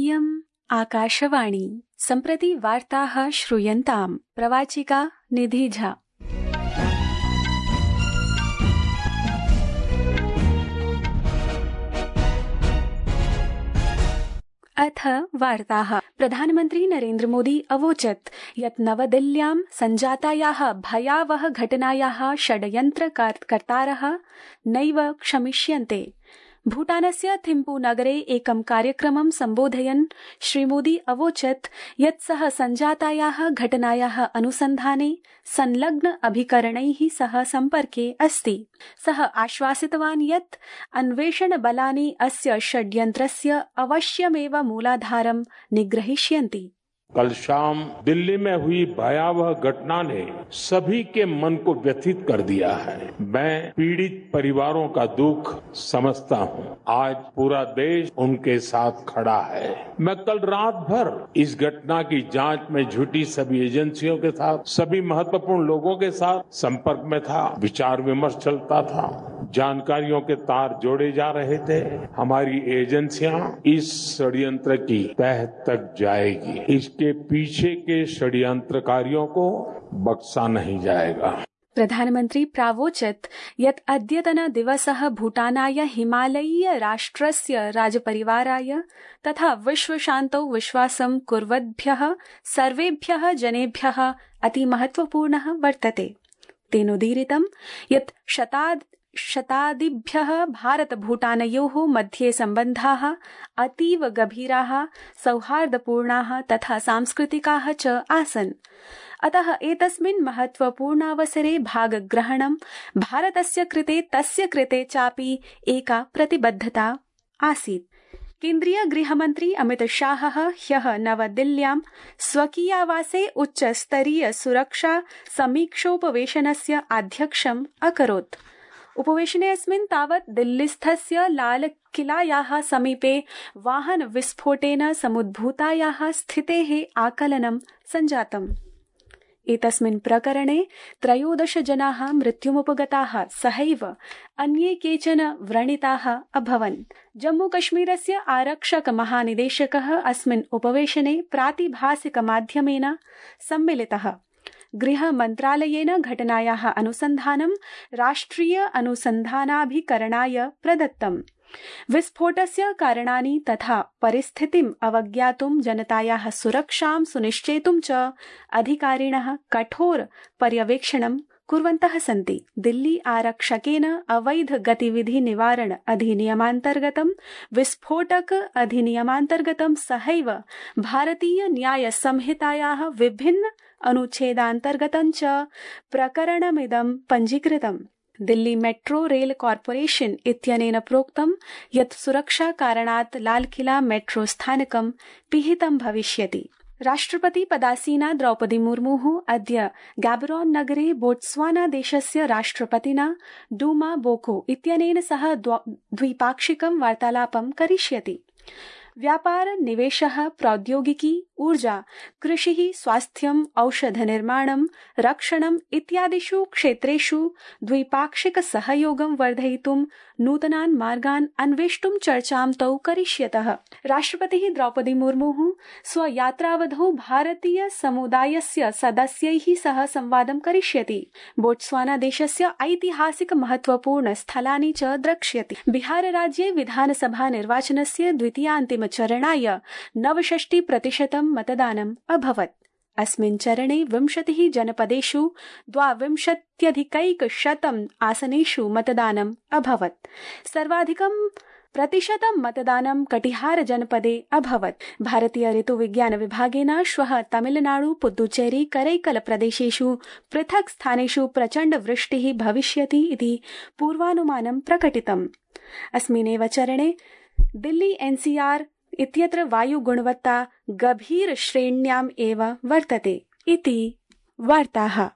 इयम् आकाशवाणी। सम्प्रति वार्ताः श्रूयन्ताम्। प्रवाचिका निधि झा। अथ वार्ताः। प्रधानमन्त्री नरेन्द्र मोदी अवोचत् यत् नवदिल्ल्यां सञ्जातायाः भयावह घटनायाः षड्यन्त्रकर्तारः नैव क्षमिष्यन्ते। भूटानस्य थिम्पू नगरे एकं कार्यक्रमं सम्बोधयन् श्रीमोदी अवोचत् यत् सः सञ्जातायाः घटनायाः अनुसन्धाने संलग्न अभिकरणैः सह सम्पर्के अस्ति। सः आश्वासितवान् यत् अन्वेषणबलानि अस्य षड्यन्त्रस्य अवश्यमेव मूलाधारं निग्रहीष्यन्ति। कल शाम दिल्ली में हुई भयावह घटना ने सभी के मन को व्यथित कर दिया है। मैं पीड़ित परिवारों का दुख समझता हूं। आज पूरा देश उनके साथ खड़ा है। मैं कल रात भर इस घटना की जांच में जुटी सभी एजेंसियों के साथ, सभी महत्वपूर्ण लोगों के साथ संपर्क में था। विचार विमर्श चलता था, जानकारियों के तार जोड़े जा रहे थे। हमारी एजेंसियां इस षड्यंत्र की तह तक जाएगी। इसके पीछे के षड्यंत्रकारियों को बख्शा नहीं जाएगा। प्रधानमन्त्री प्रावोचत् यत् अद्यतन दिवसः भूटानाय हिमालयीय राष्ट्रस्य राजपरिवाराय तथा विश्वशान्तौ विश्वासं कुर्वद्भ्यः सर्वेभ्यः जनेभ्यः अतिमहत्वपूर्णः वर्तते। तेनोदीरितं यत् शतादिभ्यः भारत-भूटानयोः मध्ये सम्बन्धाः अतीव गभीराः, सौहार्दपूर्णाः तथा सांस्कृतिकाः च आसन्। अतः एतस्मिन् महत्वपूर्णावसरे भागग्रहणं भारतस्य कृते तस्य कृते चापि एका प्रतिबद्धता आसीत्। केन्द्रीय गृहमन्त्री अमित शाहः ह्यः नवदिल्ल्यां स्वकीयावासे उच्चस्तरीय सुरक्षा समीक्षोपवेशनस्य आध्यक्षम् अकरोत्। उपवेशनेऽस्मिन् तावत् दिल्लीस्थस्य लालकिलायाः समीपे वाहन विस्फोटेन समुद्भूतायाः स्थितेः आकलनं सञ्जातम्। एतस्मिन् प्रकरणे 13 जनाः मृत्युमुपगताः, सहैव अन्ये केचन व्रणिताः अभवन्। जम्मूकश्मीरस्य आरक्षक महानिदेशकः अस्मिन् उपवेशने प्रातिभासिकमाध्यमेन सम्मिलितः। गृहमन्त्रालयेन घटनायाः अनुसन्धानं राष्ट्रिय अनुसन्धानाभिकरणाय प्रदत्तम्। विस्फोटस्य कारणानि तथा परिस्थितिम् अवज्ञातुं जनतायाः सुरक्षां सुनिश्चेतुं च अधिकारिणः कठोर पर्यवेक्षणं कुर्वन्तः सन्ति। दिल्ली आरक्षकेन अवैध गतिविधि निवारण अधिनियमान्तर्गतं, विस्फोटक अधिनियमान्तर्गतं सहैव भारतीय न्याय संहितायाः विभिन्न अनुच्छेदान्तर्गतं च प्रकरणमिदं पञ्जीकृतम्। दिल्ली मेट्रो रेल कॉर्पोरेशन इत्यनेन प्रोक्तं यत् सुरक्षा कारणात् लालकिला मेट्रो स्थानकं पिहितं भविष्यति। राष्ट्रपति पदासीना द्रौपदी मुर्मुः अद्य गैबरोन नगरे बोट्स्वाना देशस्य राष्ट्रपतिना डूमा बोको इत्यनेन सह द्विपाक्षिकं वार्तालापं करिष्यति। व्यापार, निवेशः, प्रौद्योगिकी, ऊर्जा, कृषिः, स्वास्थ्यम्, औषधनिर्माणं, रक्षणम् इत्यादिषु क्षेत्रेषु द्विपाक्षिक सहयोगं वर्धयितुं नूतनान् मार्गान् अन्वेष्टुं चर्चां तौ करिष्यतः। राष्ट्रपतिः द्रौपदी मुर्मुः स्वयात्रावधौ भारतीय समुदायस्य सदस्यैः सह संवादं करिष्यति। बोट्स्वाना देशस्य ऐतिहासिक महत्वपूर्ण स्थलानि च द्रक्ष्यति। बिहार राज्ये विधानसभा निर्वाचनस्य द्वितीयान्तिम चरणाय 69% मतदानम् अभवत्। अस्मिन् चरणे 20 जनपदेषु 22% आसनेषु मतदानम् अभवत्। सर्वाधिकं प्रतिशतं मतदानं कटिहार जनपदे अभवत्। भारतीय ऋतुविज्ञान विभागेन श्वः तमिलनाडु, पुद्दुचेरी, करैकल प्रदेशेषु पृथक् स्थानेषु प्रचण्ड वृष्टिः भविष्यति इति पूर्वानुमानं प्रकटितम्। अस्मिन्नेव चरणे दिल्ली NCR इत्यत्र वायुगुणवत्ता गभीर श्रेण्याम् एव वर्तते इति वार्ताः।